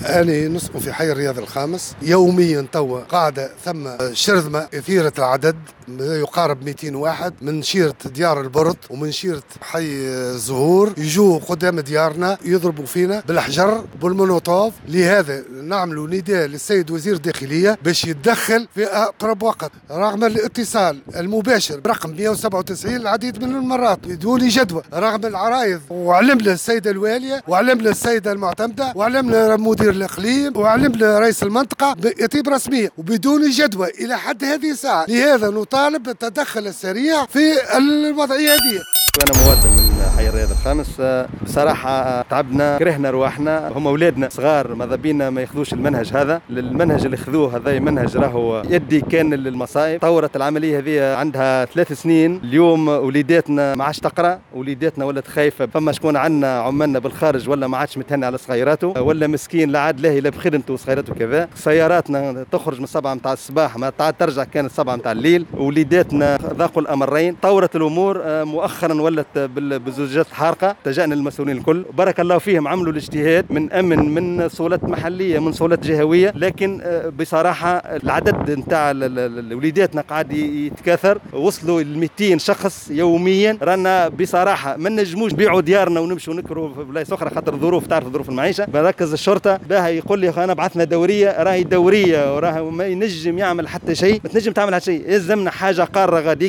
أنا نسكن في حي الرياض الخامس. يوميا توا قاعدة ثم شرذمة كثيرة العدد يقارب 200 واحد من شيرة ديار البرط ومن شيرة حي الزهور، يجوا قدام ديارنا يضربوا فينا بالحجر بالمولوتوف. لهذا نعملوا نداء للسيد وزير الداخلية باش يتدخل في أقرب وقت، رغم الاتصال المباشر برقم 197 العديد من المرات بدون جدوى، رغم العرايض، وعلمنا السيدة الوالية وعلمنا السيدة المعتمدة وعلمنا مدير الإقليم وعلمنا رئيس المنطقة بإطيب رسمية وبدون جدوى إلى حد هذه الساعة. لهذا نطالب بالتدخل السريع في الوضعية هذه. أنا مواطن من حي الرياض الخامس. بصراحة تعبنا، كرهنا رواحنا، هم أولادنا صغار ماذا بينا ما ياخذوش المنهج هذا. المنهج اللي خذوه هذا منهج راهو يدي كان للمصائب. طورت العملية هذه عندها 3 سنين. اليوم وليداتنا ما عادش تقرأ، وليداتنا ولات خايفة. فما شكون عندنا عمالنا بالخارج ولا ما عادش متهني على صغيراته، ولا مسكين لا عاد لاهي لا بخدمته وصغيراته كذا. سياراتنا تخرج من 7 متاع الصباح ما ترجع كانت 7 متاع الليل. وليداتنا ذاقوا الأمرين. طورت الأمور مؤخرا ولت بالزجاجات الحارقه. اتجهنا للمسؤولين الكل، بارك الله فيهم، عملوا الاجتهاد من امن، من سلطات محليه، من سلطات جهويه، لكن بصراحة العدد نتاع وليداتنا قاعد يتكاثر، وصلوا ل 200 شخص يوميا. رانا بصراحة ما نجموش نبيعوا ديارنا ونمشوا نكروا في بلايص اخرى خاطر الظروف، تعرف ظروف المعيشة. مركز الشرطة باها يقول لي انا بعثنا دورية، راهي دورية وراه ما ينجم يعمل حتى شيء، ما تنجم تعمل حتى شيء، يلزمنا حاجة قارة غاديكا.